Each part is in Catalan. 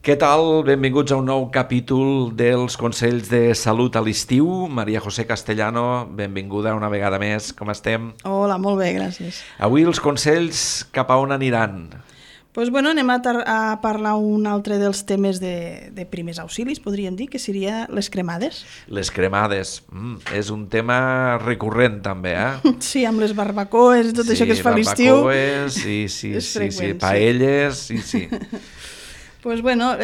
Què tal? Benvinguts a un nou capítol dels Consells de Salut a l'estiu. Maria José Castellano, benvinguda una vegada més. Com estem? Hola, molt bé, gràcies. Avui els consells cap a on aniran? Doncs anem a parlar un altre dels temes de primers auxilis, podríem dir, que seria les cremades. Les cremades. És un tema recurrent també, eh? Sí, amb les barbacoes i tot això que es fa a l'estiu. Barbacoes, sí. Paelles, sí. Doncs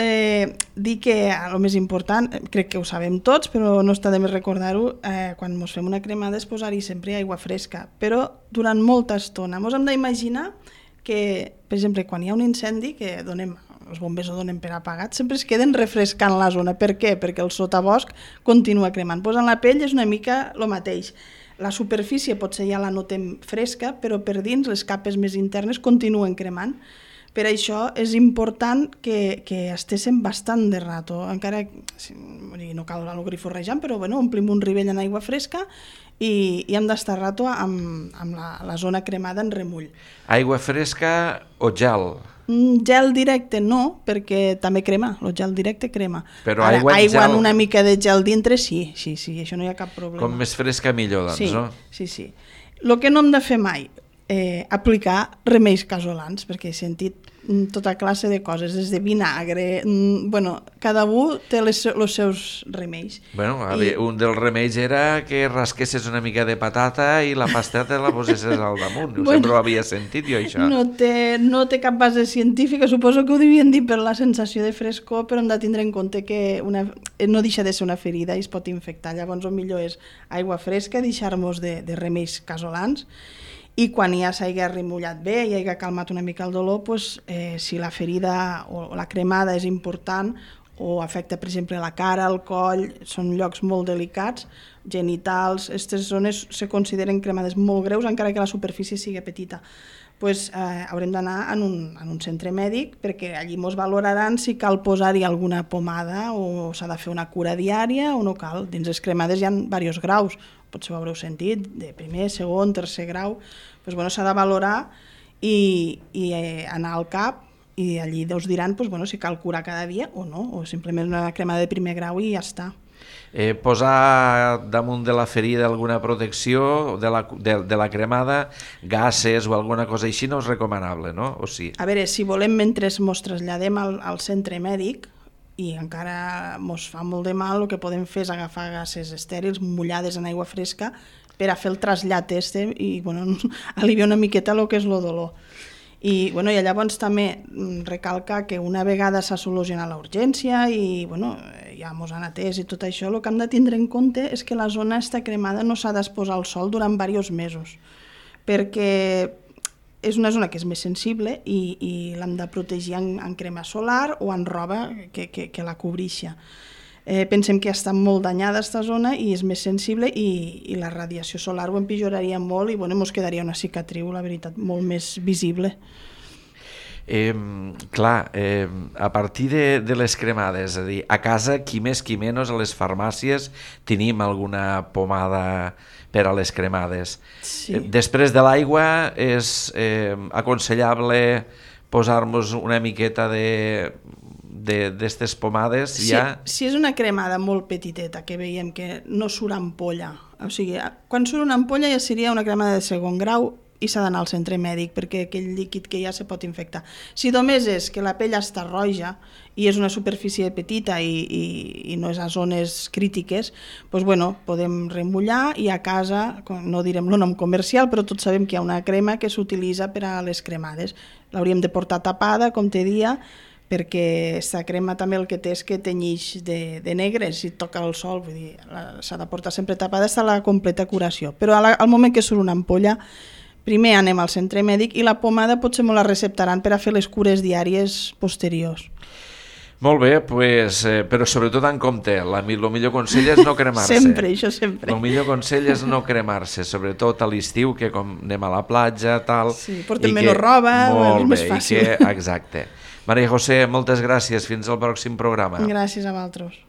dir que el més important, crec que ho sabem tots, però no està de més recordar-ho, quan ens fem una cremada és posar-hi sempre aigua fresca, però durant molta estona. Ens hem d'imaginar que, per exemple, quan hi ha un incendi, que els bombers ho donen per apagat, sempre es queden refrescant la zona. Per què? Perquè el sotabosc continua cremant. En la pell és una mica el mateix. La superfície potser ja la notem fresca, però per dins les capes més internes continuen cremant. Per això és important que estéssim bastant de rato, encara no cal anar-ho forrejant, però omplim un rivell en aigua fresca i hem d'estar rato amb la zona cremada en remull. Aigua fresca o gel? Gel directe no, perquè també crema, el gel directe crema. Però ara, aigua gel... en una mica de gel dintre, sí, això no hi ha cap problema. Com més fresca millor, doncs, no? Sí. El que no hem de fer mai, aplicar remeis casolans, perquè he sentit tota classe de coses, des de vinagre, cada un té els seus remeis. Un dels remeis era que rasquessis una mica de patata i la pasta te la posessis al damunt. Sempre ho havia sentit jo, això. No té cap base científica, suposo que ho devien dir per la sensació de frescor, però hem de tindre en compte que no deixa de ser una ferida i es pot infectar. Llavors el millor és aigua fresca, deixar-nos de remeis casolans, i quan ja s'hagi remullat bé i hagi calmat una mica el dolor, si la ferida o la cremada és important o afecta, per exemple, la cara, el coll, són llocs molt delicats, genitals, aquestes zones se consideren cremades molt greus, encara que la superfície sigui petita. Haurem d'anar en un centre mèdic perquè allí ens valoraran si cal posar-hi alguna pomada o s'ha de fer una cura diària o no cal. Dins les cremades hi ha diversos graus, potser ho haureu sentit, de primer, segon, tercer grau. S'ha de valorar i anar al CAP i allí us diran si cal curar cada dia o no, o simplement una cremada de primer grau i ja està. Posar damunt de la ferida alguna protecció de la cremada, gases o alguna cosa així no és recomanable, no? O sí? A veure, si volem mentre ens traslladem al centre mèdic i encara ens fa molt de mal, el que podem fer és agafar gases estèrils mullades en aigua fresca per a fer el trasllat i aliviar una miqueta el que és el dolor. I llavors també recalcar que una vegada s'ha solucionat la urgència i ja ens han atès i tot això, el que hem de tindre en compte és que la zona està cremada no s'ha d'exposar al sol durant diversos mesos, perquè és una zona que és més sensible i l'hem de protegir en crema solar o en roba que la cobrixa. Pensem que està molt danyada aquesta zona i és més sensible i la radiació solar ho empitjoraria molt i ens quedaria una cicatriu, la veritat, molt més visible. A partir de les cremades, és a dir, a casa, qui més qui menys, a les farmàcies tenim alguna pomada per a les cremades. Sí. Després de l'aigua és aconsellable posar-nos una miqueta d'estes pomades ja? Si és una cremada molt petiteta que veiem que no surt ampolla, o sigui, quan surt una ampolla ja seria una cremada de segon grau i s'ha d'anar al centre mèdic perquè aquell líquid que ja se pot infectar. Si només és que la pell està roja i és una superfície petita i no és a zones crítiques, podem remullar i a casa, no direm el nom comercial, però tots sabem que hi ha una crema que s'utilitza per a les cremades. L'hauríem de portar tapada, com te dia, perquè aquesta crema també el que té és que tenyix de negre si toca el sol, vull dir, s'ha de portar sempre tapada, està la completa curació. Però al moment que surt una ampolla, primer anem al centre mèdic i la pomada potser me la receptaran per a fer les cures diàries posteriors. Molt bé, però sobretot en compte, el millor consell és no cremar-se. Això sempre. El millor consell és no cremar-se, sobretot a l'estiu, que com anem a la platja, tal... Sí, portem menys roba, és més fàcil. Exacte. Maria José, moltes gràcies. Fins al pròxim programa. Gràcies a vosaltres.